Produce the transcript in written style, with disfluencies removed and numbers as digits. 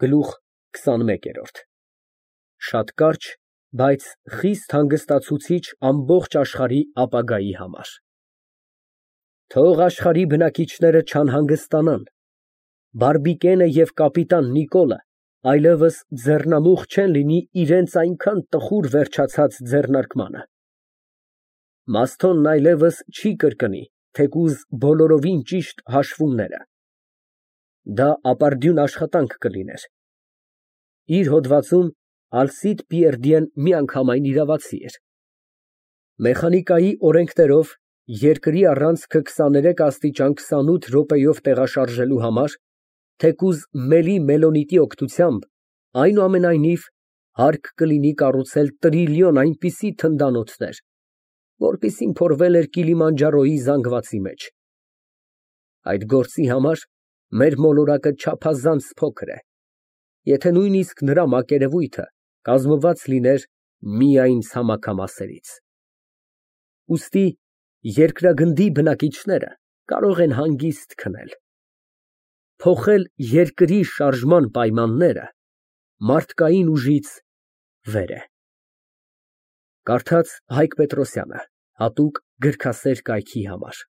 Գլուխ քսանմեկերորդ Շատ կարճ, բայց խիստ հանգստացուցիչ ամբողջ աշխարհի ապագայի համար։ Թող աշխարհի բնակիչները չանհանգստանան, բարբիկենը և կապիտան Նիկոլը այլևս ձեռնամուխ չեն լինի իրենց այնքան տխուր վերջացած ձեռնարկմանը, Մըստոն այլևս չի կրկնի, թեկուզ բոլորովին ճիշտ հաշվումները, դա ապարդյուն աշխատանք կլիներ։ Իր հոդվածում Ալսիդ Պիերդիեն միանգամայն իրավացի էր։ Մեխանիկայի օրենքներով երկրի առանցքը 23 աստիճան 28 րոպեով տեղաշարժելու համար, թեկուզ մելի մելոնիտի օգնությամբ, այնուամենայնիվ հարկ կլինի կառուցել տրիլիոն այնպիսի թնդանոթներ, որպիսին փորվել էր Կիլիմանջարոյի զանգվածի մեջ։ Այդ գործի համար մեր մոլորակը չափազանց փոքր է, եթե նույնիսկ նրա մակերևույթը կազմված լիներ միայն ցամաքամասերից։ Ուստի երկրագնդի բնակիչները կարող են հանգիստ քնել։ Փոխել երկրի շարժման պայմանները մարդկային ուժից վեր է։ Կարդաց Հայկ Պետրոսյանը, հատուկ գրքասեր կայքի համար։